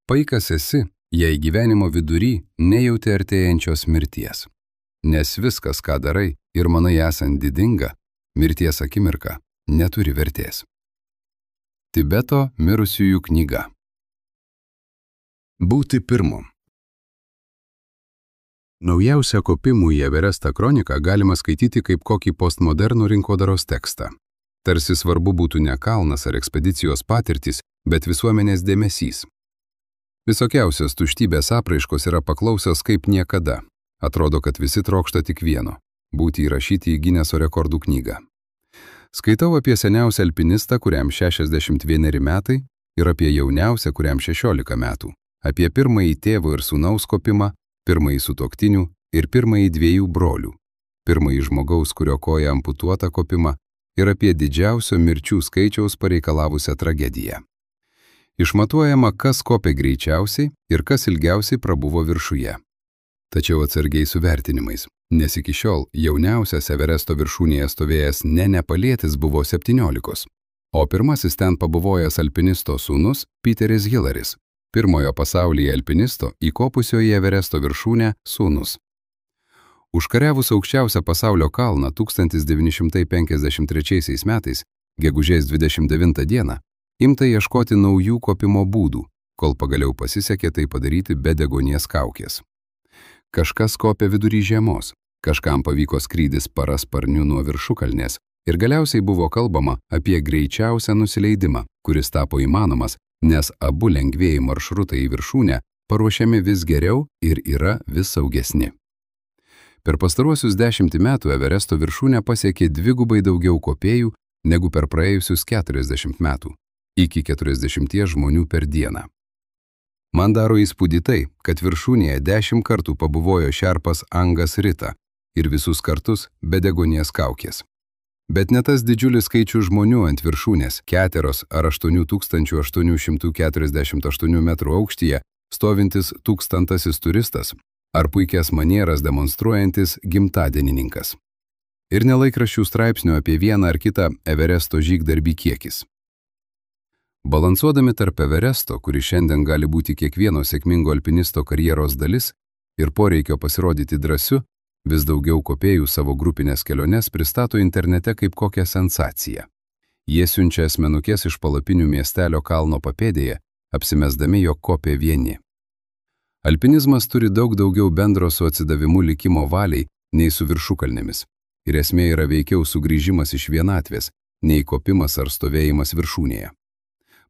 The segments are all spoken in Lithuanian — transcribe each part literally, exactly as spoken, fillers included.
Paikas esi, jei gyvenimo vidury nejauti artėjančios mirties. Nes viskas, ką darai ir manai esant didinga, mirties akimirka neturi vertės. Tibeto mirusiųjų knyga. Būti pirmu. Naujausią kopimų į Everestą kroniką galima skaityti kaip kokį postmodernų rinkodaros tekstą. Tarsi svarbu būtų ne kalnas ar ekspedicijos patirtis, bet visuomenės dėmesys. Visokiausios tuštybės apraiškos yra paklausios kaip niekada. Atrodo, kad visi trokšta tik vieno – būti įrašyti į Gineso rekordų knygą. Skaitau apie seniausią alpinistą, kuriam šešiasdešimt vieneri metai, ir apie jauniausią, kuriam šešiolika metų. Apie pirmąjį tėvo ir sūnaus kopimą, pirmąjį sutuoktinių ir pirmąjį dviejų brolių, pirmąjį žmogaus, kurio koja amputuota kopimą, ir apie didžiausio mirčių skaičiaus pareikalavusią tragediją. Išmatuojama, kas kopė greičiausiai ir kas ilgiausiai prabuvo viršuje. Tačiau atsargiai su vertinimais, nes iki šiol jauniausias Everesto viršūnėje stovėjęs ne nepalietis buvo septyniolikos, o pirmasis ten pabuvojęs alpinisto sūnus Peteris Hilaris, pirmojo pasaulyje alpinisto įkopusio į Everesto viršūnę sūnus. Užkariavus aukščiausią pasaulio kalną tūkstantis devyni šimtai penkiasdešimt trečiaisiais metais, gegužės dvidešimt devintą dieną, imta ieškoti naujų kopimo būdų, kol pagaliau pasisekė tai padaryti be deguonies kaukės. Kažkas kopė vidury žiemos, kažkam pavyko skrydis parasparniu nuo viršukalnės ir galiausiai buvo kalbama apie greičiausią nusileidimą, kuris tapo įmanomas, nes abu lengvieji maršrutai į viršūnę paruošiami vis geriau ir yra vis saugesni. Per pastaruosius dešimtį metų Everesto viršūnę pasiekė dvigubai daugiau kopėjų negu per praėjusius keturiasdešimt metų, iki keturiasdešimties žmonių per dieną. Man daro įspūdį tai, kad viršūnėje dešimt kartų pabuvojo šerpas Angas Rita ir visus kartus be deguonies kaukės. Bet ne tas didžiulis skaičius žmonių ant viršūnės, keteros ar aštuonių tūkstančių aštuonių šimtų keturiasdešimt aštuonių metrų aukštyje, stovintis tūkstantasis turistas, ar puikias manieras demonstruojantis gimtadienininkas. Ir nelaikraščių straipsnių apie vieną ar kitą Everesto žygdarbį kiekis. Balansuodami tarp Everesto, kuris šiandien gali būti kiekvieno sėkmingo alpinisto karjeros dalis, ir poreikio pasirodyti drąsiu, vis daugiau kopėjų savo grupinės keliones pristato internete kaip kokią sensaciją. Jie siunčia asmenukės iš palapinių miestelio kalno papėdėje, apsimesdami, jog kopė vieni. Alpinizmas turi daug daugiau bendro su atsidavimu likimo valiai nei su viršukalnėmis, ir esmė yra veikiau sugrįžimas iš vienatvės, nei kopimas ar stovėjimas viršūnėje.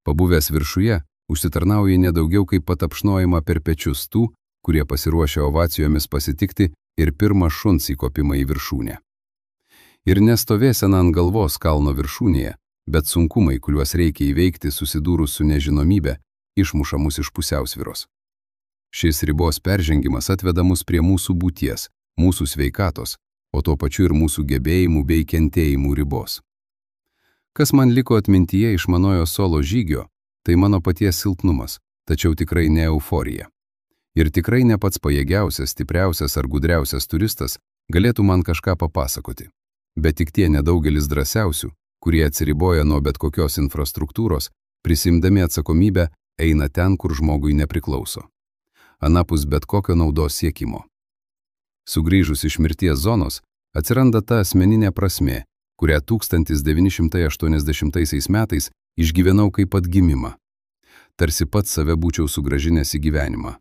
Pabuvęs viršuje, užsitarnauja nedaugiau kaip patapšnojimą per pečius tų, kurie pasiruošia ovacijomis pasitikti ir pirmą šuns įkopimą į viršūnę. Ir nestovėsena ant galvos kalno viršūnėje, bet sunkumai, kuriuos reikia įveikti susidūrus su nežinomybe, išmuša mus iš pusiausvyros. Šis ribos peržengimas atveda mus prie mūsų būties, mūsų sveikatos, o tuo pačiu ir mūsų gebėjimų bei kentėjimų ribos. Kas man liko atmintyje iš manojo solo žygio, tai mano paties silpnumas, tačiau tikrai ne euforija. Ir tikrai ne pats pajėgiausias, stipriausias ar gudriausias turistas galėtų man kažką papasakoti. Bet tik tie nedaugelis drąsiausių, kurie atsiriboja nuo bet kokios infrastruktūros, prisimdami atsakomybę, eina ten, kur žmogui nepriklauso. Anapus bet kokio naudos siekimo. Sugrįžus iš mirties zonos, atsiranda ta asmeninė prasmė, kurią tūkstantis devyni šimtai aštuoniasdešimtaisiais metais išgyvenau kaip atgimimą. Tarsi pats save būčiau sugrąžinęs į gyvenimą.